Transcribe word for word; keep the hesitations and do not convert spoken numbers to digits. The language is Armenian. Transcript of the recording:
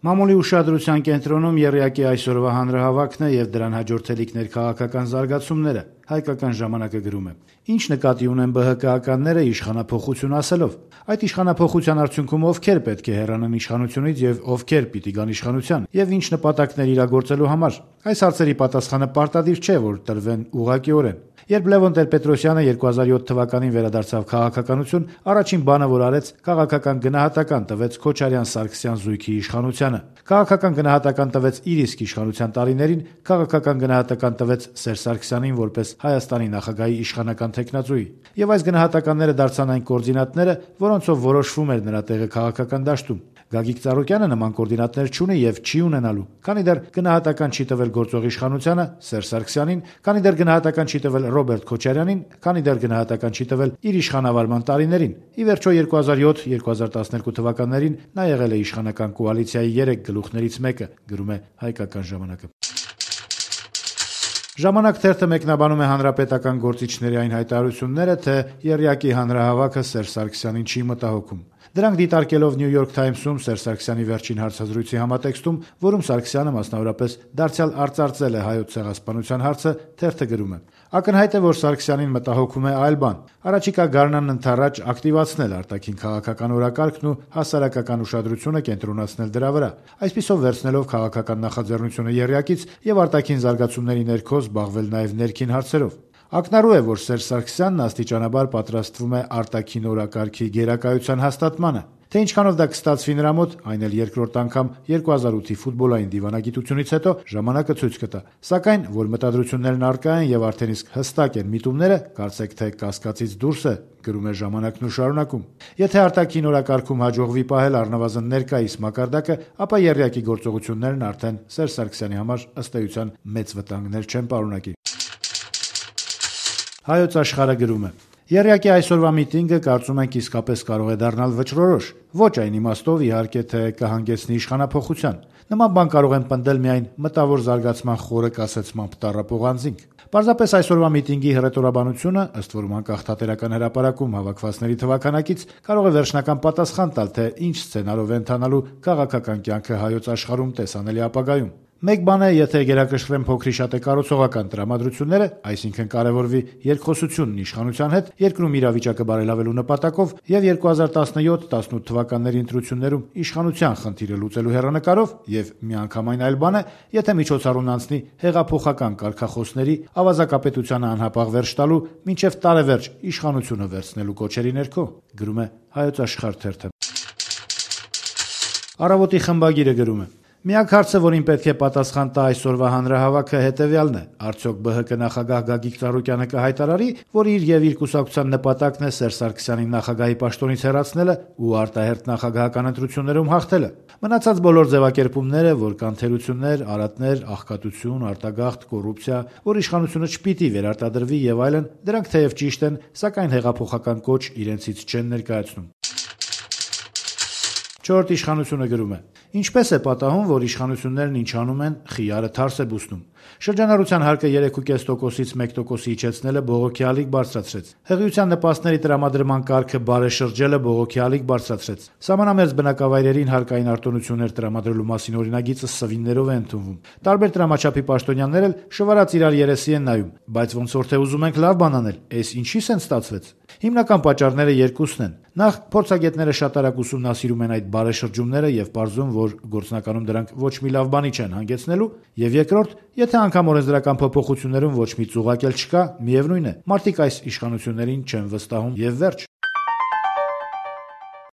Մամուլի ուշադրության կենտրոնում եռյակի այսօրվա հանրահավաքն է եւ դրան հաջորդելիք ներքաղաքական զարգացումները։ Հայկական ժամանակը գրում է. Ինչ նկատի ունեն ԲՀԿ-ականները իշխանափոխություն ասելով։ Այդ իշխանափոխության արդյունքում ովքեր պետք է հեռանան իշխանությունից եւ ովքեր պիտի գան իշխանության եւ ինչ նպատակներ իրագործելու համար։ Այս հարցերի պատասխանը պարտադիր չէ, որ տրվեն ուղղակիորեն։ Երբ Լևոն Տեր-Պետրոսյանը երկու հազար յոթ թվականին վերադարձավ քաղաքականություն, առաջին բանը, որ արեց, քաղաքական գնահատական տվեց Քոչարյան-Սարգսյան զույգի իշխանությանը։ Քաղաքական գնահատական տվեց իր իսկ իշխանության տարիներին, քաղաքական գնահատական տվեց Սերժ Սարգսյանին որպես Հայաստանի նախագահի իշխանական թեկնածուի։ Եվ այս գնահատականները դարձան այն կոորդինատները, որոնցով որոշվում էր նրա տեղը քաղաքական դաշտում։ Գագիկ Ծառուկյանը նման կոորդինատներ չունի եւ չի ունենալու, քանի դեռ գնահատական չի տվել գործող իշխանությանը Սերժ Սարգսյանին, քանի դեռ գնահատական չի տվել Ռոբերտ Քոչարյանին, քանի դեռ գնահատական չի տվել իր իշխանավարման տարիներին։ Ի վերջո երկու հազար յոթ երկու հազար տասներկու թվականներին նա եղել է իշխանական կոալիցիայի երեք գլուխներից մեկը, գրում է Հայկական ժամանակը։ Ժամանակ թերթը մեկնաբանում է հանրապետական գործիչների այն հայտարարությունները, թե եռյակի հանրահավաքը Սերժ Սարգսյանին չի մտահոգում։ Դրանք դիտարկելով New York Times-ում Սերժ Սարգսյանի վերջին հարցազրույցի համատեքստում, որում Սարգսյանը մասնավորապես դարձյալ արծարծել է հայոց ցեղասպանության հարցը, թերթը գրում է. Ակնհայտ է, որ Սարգսյանին մտահոգում է այլ բան։ Առաջիկա գարնանն ընդառաջ ակտիվացնել արտաքին քաղաքական օրակարգն ու հասարակական ուշադրությունը կենտրոնացնել դրա վրա, այսպիսով վերցնելով քաղաքական նախաձեռնությունը եռյակից եւ արտաքին զարգացումների ներքո զբաղվել նաեւ ներքին հարցերով։ Ակնառու է, որ Սերժ Սարգսյանն աստիճանաբար պատրաստվում է արտաքին օրակարգի գերակայության հաստատմանը։ Թե ինչքանով դա կստացվի նրա մոտ, այն էլ երկրորդ անգամ երկու հազար ութի ֆուտբոլային դիվանագիտությունից հետո ժամանակը ցույց կտա։ Սակայն, որ մտադրություններն առկա են եւ արդեն իսկ հստակ են միտումները, կարծեք թե կասկածից դուրս է, գրում է ժամանակն ու շարունակում։ Եթե արտաքին օրակարգում հաջողվի պահել առնվազն ներկայիս մակարդակը, ապա եռյակի գործողություններն արդեն Սերժ Սարգսյանի համար ըստ էության մեծ վտանգներ չեն պարունակի։ Հայոց աշխարհը գրում է. Եռյակի այսօրվա միտինգը կարծում ենք իսկապես կարող է դառնալ վճռորոշ, ոչ այն իմաստով իհարկե, թե կհանգեցնի իշխանափոխության։ Նման բան կարող են պնդել միայն մտավոր զարգացման խորը կասեցմամբ տառապող անձինք։ Պարզապես այսօրվա միտինգի հռետորաբանությունը, ըստ որում անկախ թատերական հրապարակում հավաքվածների թվաքանակից, կարող է վերջնական պատասխան տալ, թե ինչ սցենարով է ընթանալու քաղաքական կյանքը հայոց աշխարհում տեսանելի ապագայում։ Մեկ բան է, եթե գերակշռեն փոքրի շատ է կառուցողական տրամադրությունները, այսինքն կարևորվի երկխոսությունն իշխանության հետ, երկրում իրավիճակը բարելավելու նպատակով եւ երկու հազար տասնյոթ տասնութ թվականների ընտրություններում իշխանության խնդիրը լուծելու հեռանկարով, եւ միանգամայն այլ բան է, եթե միջոցառումն անցնի հեղափոխական կարգախոսների, ավազակապետությանը անհապաղ վերջ տալու, մինչեւ տարեվերջ իշխանությունը վերցնելու կոչերի ներքո, գրում է Հայոց աշխարհ թերթը։ Առավոտի խմբագիրը գրում է. Միակ հարցը, որին պետք է պատասխան տա այսօրվա հանրահավաքը, հետևյալն է. արդյոք ԲՀԿ նախագահ Գագիկ Ծառուկյանը կհայտարարի, որ իր եւ իր կուսակցության նպատակն է Սերժ Սարգսյանին նախագահի պաշտոնից հեռացնելը ու արտահերթ նախագահական ընտրություններում հաղթելը։ Մնացած բոլոր ձևակերպումները, որ կան թերություններ, արատներ, աղքատություն, արտագաղթ, կոռուպցիա, որ իշխանությունը չպիտի վերարտադրվի եւ այլն, դրանք թեև ճիշտ են, սակայն հեղափոխական կոչ իրենցից չեն ներկայացնում։ Չորրորդ իշխանությունը գրում է. Ինչպես է պատահում, որ իշխանություններն ինչ անում են, խիարը թարս է բուսնում։ Շրջանառության հարկը երեք կես տոկոսից մեկ տոկոսի իջեցնելը բողոքի ալիք բարձրացրեց։ Հղիության նպաստների տրամադրման կարգը բարեշրջելը բողոքի ալիք բարձրացրեց։ Սահմանամերձ բնակավայրերին հարկային արտոնություններ տրամադրելու մասին օրինագիծը սվիններով է ընդունվում։ Տարբեր տրամաչափի պաշտոնյաներ էլ շվարած իրար երեսի են նայում, բայց ոնց որ թե ուզում ենք լավ բան անել, էս ինչի՞ս են ստացվեց։ Հիմնական պատճառները երկուսն են։ Նախ, փորձագետները շատ արագ ուսումնասիրում են այդ բարեշրջումները եւ պարզում, որ գործնականում դրանք ոչ մի լավ բանի չեն հանգեցնելու, եւ երկրորդ, եթե անգամ օրենսդրական փոփոխություններում ոչ մի ծուղակ էլ չկա, միևնույն է, մարդիկ այս իշխանություններին չեն վստահում եւ վերջ։